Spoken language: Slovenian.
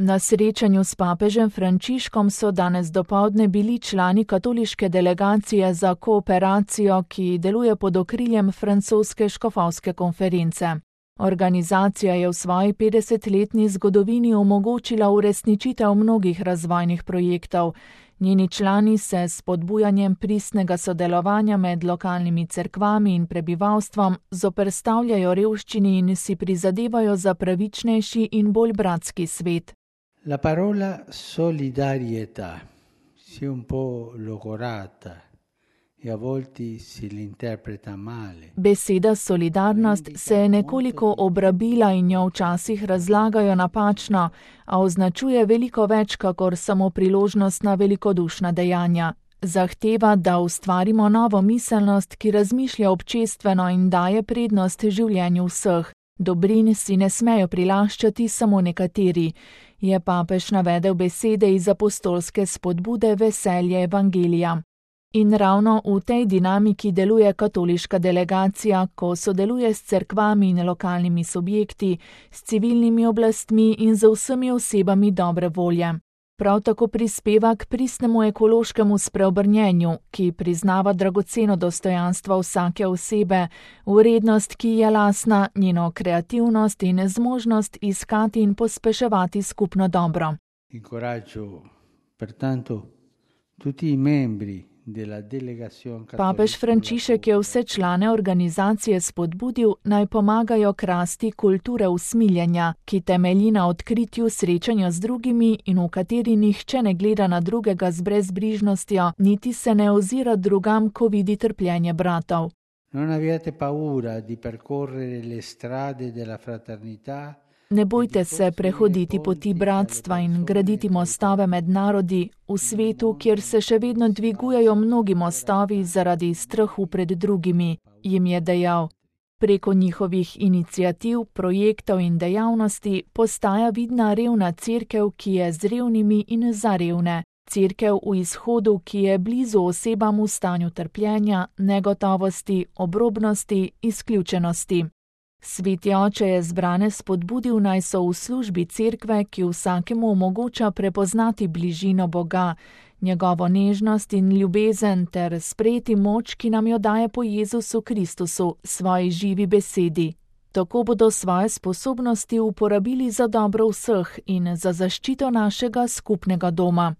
Na srečanju s papežem Frančiškom so danes dopoldne bili člani katoliške delegacije za kooperacijo, ki deluje pod okriljem francoske škofovske konference. Organizacija je v svoji 50-letni zgodovini omogočila uresničitev mnogih razvojnih projektov. Njeni člani se s spodbujanjem pristnega sodelovanja med lokalnimi cerkvami in prebivalstvom zoperstavljajo revščini in si prizadevajo za pravičnejši in bolj bratski svet. La parola solidarietà si è un po' logorata e a volte si l'interpreta male. Beseda solidarnost se je nekoliko obrabila in jo včasih razlagajo napačno, a označuje veliko več kakor samo priložnost na velikodušna dejanja. Zahteva, da ustvarimo novo miselnost, ki razmišlja občestveno in daje prednost življenju vseh. Dobrin si ne smejo prilaščati samo nekateri, je papež navedel besede iz apostolske spodbude Veselje evangelija. In ravno v tej dinamiki deluje katoliška delegacija, ko sodeluje s cerkvami in lokalnimi subjekti, s civilnimi oblastmi in z vsemi osebami dobre volje. Prav tako prispeva k pristnemu ekološkemu spreobrnjenju, ki priznava dragoceno dostojanstvo vsake osebe, vrednost, ki je lastna, njeno kreativnost in zmožnost iskati in pospeševati skupno dobro. Incoraggio pertanto tutti i membri. Papež Frančišek je vse člane organizacije spodbudil, naj pomagajo k rasti kulture usmiljenja, ki temelji na odkritju srečanja z drugimi in v kateri nihče ne gleda na drugega z brezbrižnostjo, niti se ne ozira drugam, ko vidi trpljenje bratov. Non abbiate paura di percorrere le strade della fraternità. Ne bojte se prehoditi poti bratstva in graditi mostove med narodi v svetu, kjer se še vedno dvigujejo mnogi mostovi zaradi strahu pred drugimi, jim je dejal. Preko njihovih iniciativ, projektov in dejavnosti postaja vidna revna cerkev, ki je z revnimi in za revne. Cerkev v izhodu, ki je blizu osebam v stanju trpljenja, negotovosti, obrobnosti, izključenosti. Sveti oče je zbrane spodbudil, naj so v službi cerkve, ki vsakemu omogoča prepoznati bližino Boga, njegovo nežnost in ljubezen ter sprejeti moč, ki nam jo daje po Jezusu Kristusu, svoji živi besedi. Tako bodo svoje sposobnosti uporabili za dobro vseh in za zaščito našega skupnega doma.